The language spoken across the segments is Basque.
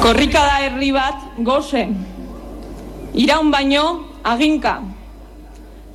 Korrika da herri bat gose, iraun baino aginka.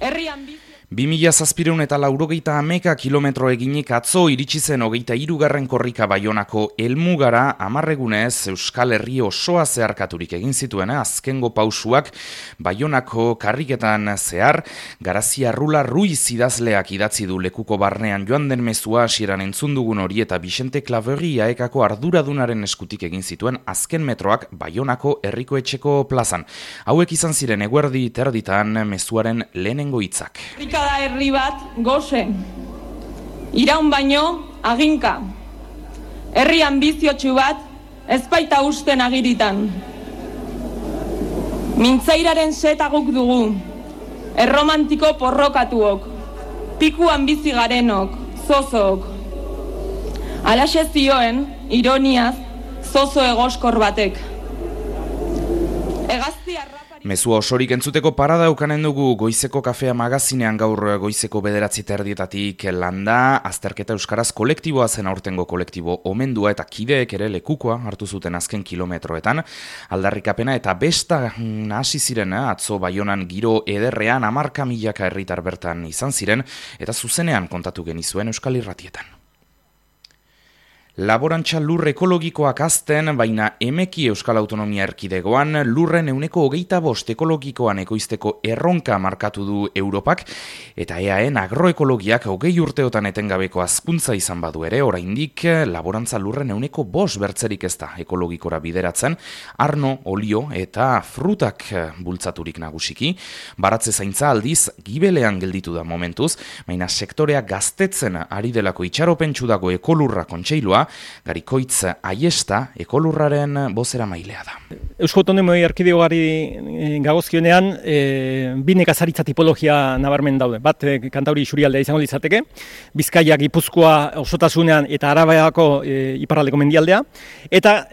Herrian 2000 kilometro eginik atzo iritsi zen 23. korrika Baionako helmugara 10 egunez Euskal Herri osoa zeharkaturik egin zituen azkengo pausuak Baionako karriketan zehar. Garazia Rula Ruiz idazleak idatzi du lekuko barnean joan den mezua hasieran entzun dugun hori eta Vicente Claverie aekako arduradunaren eskutik egin zituen azken metroak Baionako herriko etxeko plazan. Hauek izan ziren eguerdi terditan mezuaren lehenengo hitzak. Da herri bat gose, iraun baino aginka. Herri ambiziotsu bat ezbaita usten agiritan. Mintzairaren setaguk dugu, erromantiko porrokatuok, piku ambizi garenok, zozook. Alaxe zioen, ironiaz, zozo egoskor batek. Mezua osorik entzuteko parada ukanen dugu Goizeko Kafea magazinean gaur goizeko 9:00 landa, azterketa euskaraz kolektiboa zen aurtengo kolektibo omendua eta kideek ere lekukoa hartu zuten azken kilometroetan. Aldarrikapena eta besta hasi ziren atzo Baionan giro ederrean 10.000 herritar bertan izan ziren eta zuzenean kontatu genizuen Euskal Irratietan. Laborantza lur ekologikoak azten, baina emeki Euskal Autonomia Erkidegoan lurren 25% ekologikoan ekoizteko erronka markatu du Europak, eta EAEn agroekologiak 20 urteotan etengabeko hazkuntza izan badu ere, oraindik laborantza lurren 5% bertzerik ez da ekologikora bideratzen, arno, olio eta frutak bultzaturik nagusiki. Baratze zaintza aldiz gibelean gelditu da momentuz, baina sektorea gaztetzen ari delako itxaropentsu dago ekolurra kontseilua, Garikoitz Aiesta ekolurraren bozera mailea da. Eusko Autonomia Erkidegoari gagozkionean bi nekazaritza tipologia nabarmen daude. Bat Kantauri isurialdea izango litzateke, Bizkaia, Gipuzkoa osotasunean eta Arabako iparraldeko mendialdea, eta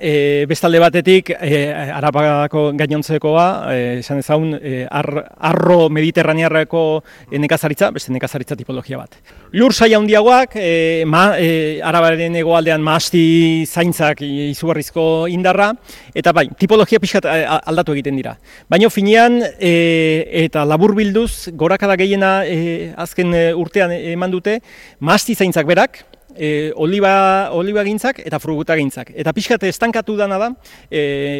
bestalde batetik Arabako gainontzekoa, esan ezagun arro mediterranearreko nekazaritza, beste nekazaritza tipologia bat. Lur saia handiagoak, Arabaren hegoaldean mahasti zaintzak izugarrizko indarra, eta bai, tipologia pixkat aldatu egiten dira. Baina finean eta laburbilduz gorakada gehiena azken urtean eman dute, mahasti zaintzak berak, oliba gintzak eta fruguta gintzak. Eta pixkat estankatu dana da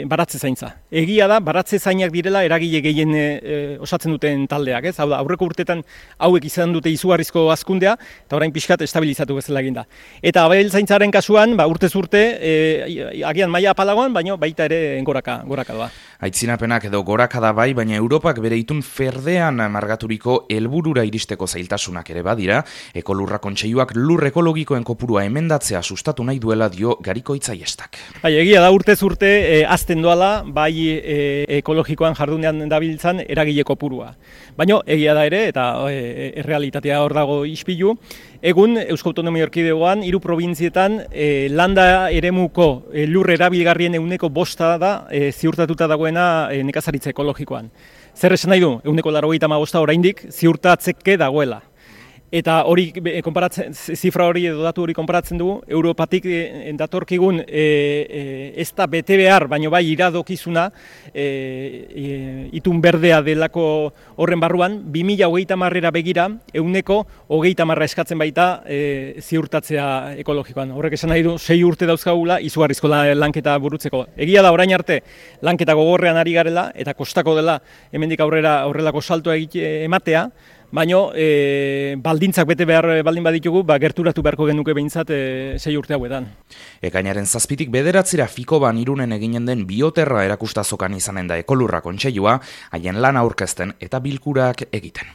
baratze zaintza. Egia da, baratze zainak direla eragile gehien osatzen duten taldeak. Hau da, aurreko urtetan hauek izan dute izugarrizko hazkundea, eta orain pixkat estabilizatu bezala egin da. Eta abel zaintzaren kasuan, urtez urte, agian maila apalagoan, baina baita ere goraka doa. Aitzinapenak edo gorakada bai, baina Europak bere itun ferdean margaturiko helburura iristeko zailtasunak ere badira, ekolurra kontseiluak lur ekologikoen kopurua emendatzea sustatu nahi duela dio Garikoitz Aiestak. Egia da urtez urte azten doala bai ekologikoan jardunean dabiltzan eragile kopurua. Baina egia da ere, eta errealitatea hor dago ispilu, egun Eusko Autonomia Erkidegoan 3 probintzietan landa eremuko lur erabilgarrien 5% da ziurtatuta dagoena nekazaritza ekologikoan. Zer esan nahi du? 95% oraindik ziurtatzeke dagoela. Eta hori zifra hori edo datu hori konparatzen dugu, Europatik datorkigun ez da bete behar, baino bai iradokizuna itun berdea delako horren barruan, 2030 begira 130 eskatzen baita ziurtatzea ekologikoan. Horrek esan nahi du 6 urte dauzkagula izugarrizko lanketa burutzeko. Egia da orain arte lanketa gogorrean ari garela eta kostako dela hemendik aurrera horrelako saltoa ematea, baina baldintzak bete behar baldin baditugu, gerturatu beharko genuke behintzat 6 urte hauetan. Ekainaren 7 bederatzira Fikoban Irunen eginen den bioterra erakustazokan izanen da ekolurra kontseilua, haien lan aurkezten eta bilkurak egiten.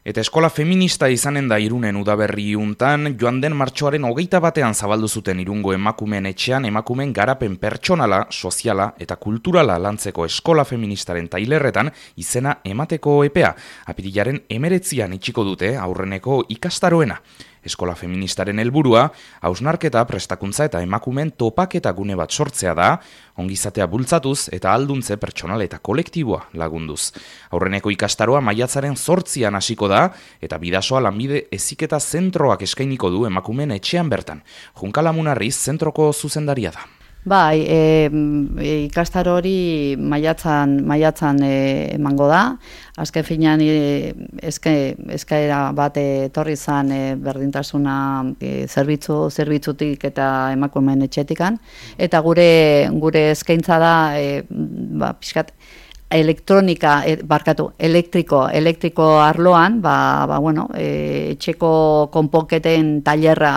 Eta eskola feminista izanen da Irunen udaberri untan, joan den martxoaren 21 zabaldu zuten Irungo emakumeen etxean emakumeen garapen pertsonala, soziala eta kulturala lantzeko eskola feministaren tailerretan izena emateko epea. Apirilaren 19an itxiko dute aurreneko ikastaroena. Eskola feministaren helburua, hausnarketa, prestakuntza eta emakumeen topaketa gune bat sortzea da, ongizatea bultzatuz eta alduntze pertsonal eta kolektiboa lagunduz. Aurreneko ikastaroa maiatzaren 8an hasiko da, eta Bidasoa lanbide heziketa zentroak eskainiko du emakumeen etxean bertan. Junkala Munarriz zentroko zuzendaria da. Bai, ikastaro hori maiatzan emango da. Azken finean eskaera bat etorri zan berdintasuna zerbitzutik eta emakumeen etxetikan. Eta gure eskaintza da pixkat elektriko arloan, etxeko konponketen tailerra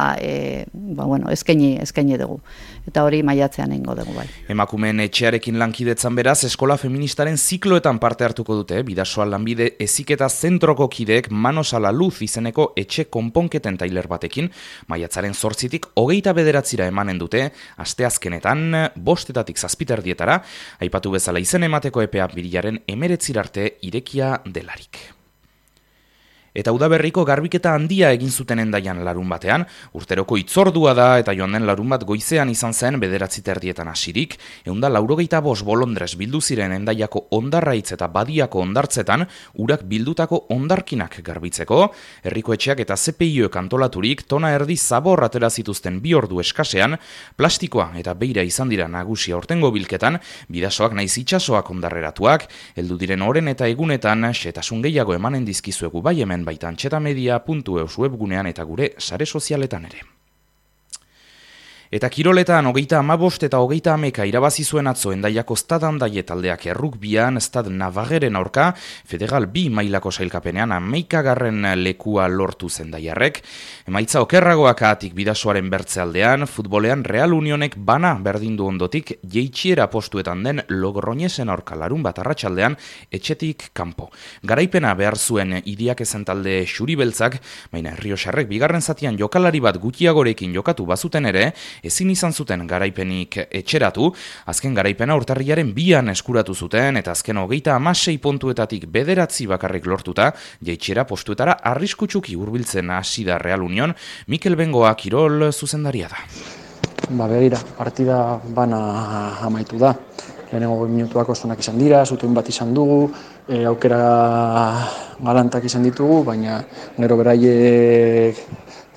eskaini dugu. Eta hori maiatzean egingo dugu bai. Emakumeen etxearekin lankidetzan beraz, eskola feministaren zikloetan parte hartuko dute, Bidasoa lanbide heziketa zentroko kideek Manos a la Luz izeneko etxe konponketen tailer batekin, maiatzaren 8tik 29 emanen dute, asteazkenetan 5-etatik 7:00 aipatu bezala izen emateko epea birilaren 19 arte irekia delarik. Eta udaberriko garbiketa handia egin zuten Hendaian larun batean, urteroko itzordua da eta joan den larun bat goizean izan zen 9:30 hasirik, 195 bolondres bildu ziren Hendaiako hondarraitz eta badiako hondartzetan urak bildutako hondarkinak garbitzeko, herriko etxeak eta CPIek antolaturik tona erdi zabor atera zituzten 2 ordu eskasean, plastikoa eta beira izan dira nagusi aurtengo bilketan, bidasoak naiz itsasoak hondarreratuak, heldu diren oren eta egunetan xehetasun gehiago emanen dizkizuegu bai hemen baita antxetamedia.eus webgunean eta gure sare sozialetan ere. Eta kiroletan 35 eta 30 irabazi zuen atzo Hendaiako Stad Handaie taldeak errukbian Stad Navarreren aurka Federal B mailako sailkapenean 11. lekua lortu Hendaiarrek. Emaitza okerragoak atik Bidasoaren bertzealdean, futbolean Real Unionek bana berdindu ondotik jeitxiera postuetan den Logroñesen aurka larun bat arratsaldean etxetik kanpo. Garaipena behar zuen Iriak ezen talde xuribeltzak, baina Errioxarrek bigarren zatian jokalari bat gutxiagorekin jokatu bazuten ere, ezin izan zuten garaipenik etxeratu, azken garaipena urtarrilaren 2an eskuratu zuten eta azken 36 puntuetatik 9 bakarrik lortuta, jeitxera postuetara arriskutsuki hurbiltzen hasi da Real Union, Mikel Bengoa kirol zuzendaria da. Begira, partida bana amaitu da. Lehenengo minutuak oso izan dira, zutuen bat izan dugu, aukera galantak izan ditugu, baina gero beraiek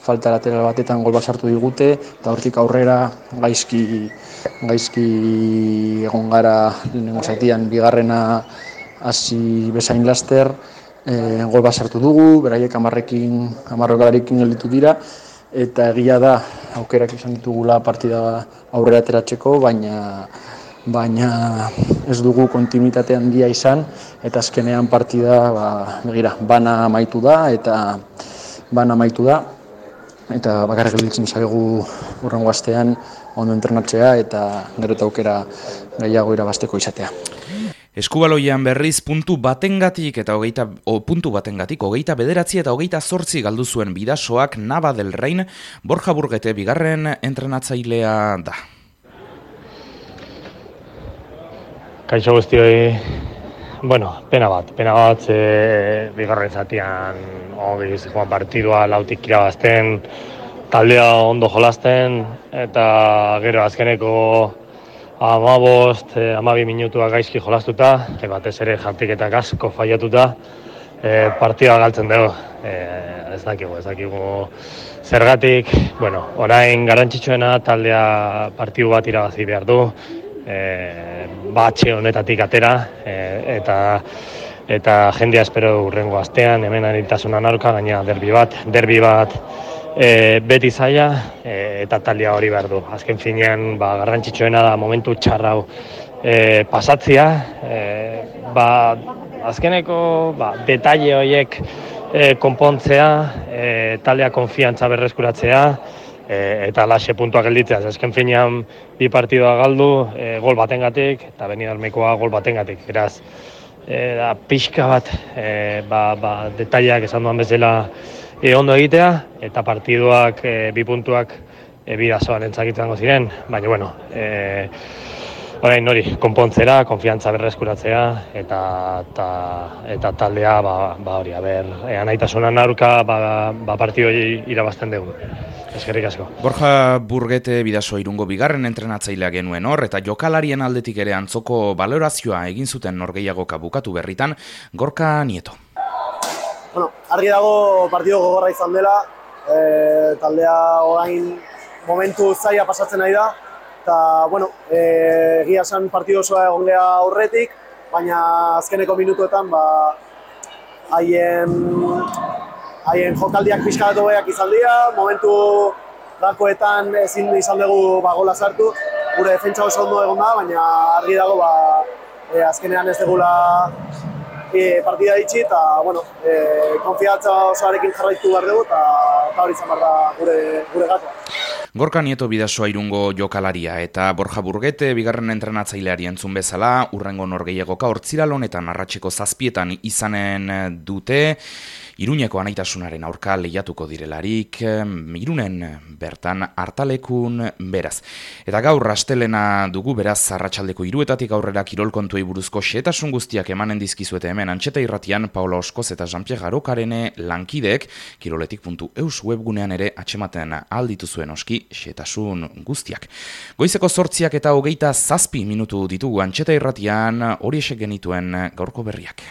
falta lateral batetan gol bat sartu digute, eta hortik aurrera gaizki egon gara lehenengo zatian, bigarrena hasi bezain laster, gol bat sartu dugu, beraiek 10 gelditu dira, eta egia da aukerak izan ditugula partida aurrera ateratzeko, baina ez dugu kontinuitate handia izan, eta azkenean partida bana amaitu da, eta bakarrik gelditzen zaigu hurrengo astean ondo entrenatzea eta gero eta aukera gehiago irabazteko izatea. Eskubaloian berriz puntu batengatik 29 eta 28 galdu zuen Bidasoak Nava del Rein, Borja Burgete bigarren entrenatzailea da. Kaixo guztioi, pena bat, bigarren zatian ongi joan partidua lautik irabazten, taldea ondo jolasten, eta gero azkeneko 12 minutuak gaizki jolastuta, batez ere jartiketak asko faiatuta, partida galtzen dugu. Ez dakigu zergatik, orain garrantzitsuena taldea partidu bat irabazi behar du, batxe honetatik atera, eta jendea espero hurrengo astean, hemen anitasunan aurka, gaina derbi bat beti zaila, eta taldea hori behar du. Azken finean, garrantzitsuena da momentu txarrau pasatzea, azkeneko detaile horiek konpontzea, taldea konfiantza berreskuratzea, eta laxe puntuak gelditzea. Azken finean, 2 partidua galdu, gol batengatik, eta Benidormekoa gol batengatik. Beraz, pixka bat, detaileak esan duan bezala ondo egitea, eta partiduak 2 puntuak Bidasoan entzakitzango ziren, baina, orain hori, konpontzera, konfiantza berreskuratzea, eta taldea, hori, anaitasunan aurka, partidu irabazten dugu. Eskerrik asko. Borja Burgete Bidaso Irungo bigarren entrenatzailea genuen hor, eta jokalarien aldetik ere antzoko balorazioa egin zuten norgehiagoka bukatu berritan, Gorka Nieto. Argi dago partido gogorra izan dela, taldea orain momentu zaila pasatzen ari da, Eta, bueno, egia esan partidu osoa egon geha aurretik, baina azkeneko minutuetan haien jokaldiak pixkatu behiak izan dira, momentu gakoetan ezin izan dugu gola sartu, gure defentsa oso ondo egon da, baina argi dago azkenean ez dugula partida itxi eta, bueno, konfiantza osoarekin jarraitu behar dugu eta hori izan behar da gure gakoa. Gorka Nieto Bidasoa Irungo jokalaria eta Borja Burgete bigarren entrenatzaileari entzun bezala, urrengo norgehiagoka hortziral honetan arratseko 7 izanen dute, Iruñeko Anaitasunaren aurka lehiatuko direlarik, Irunen bertan hartalekun beraz. Eta gaur astelena dugu beraz arratsaldeko 3 aurrera kirol kontuei buruzko xehetasun guztiak emanen dizkizuete hemen Antxeta Irratian Paula Oskoz eta Jean-Pierre Garokarene lankideek kiroletik.eus webgunean ere atsematen alditu zuen oski xehetasun guztiak. Goizeko 8 eta 27 minutu ditugu Antxeta Irratian horiexek genituen gaurko berriak.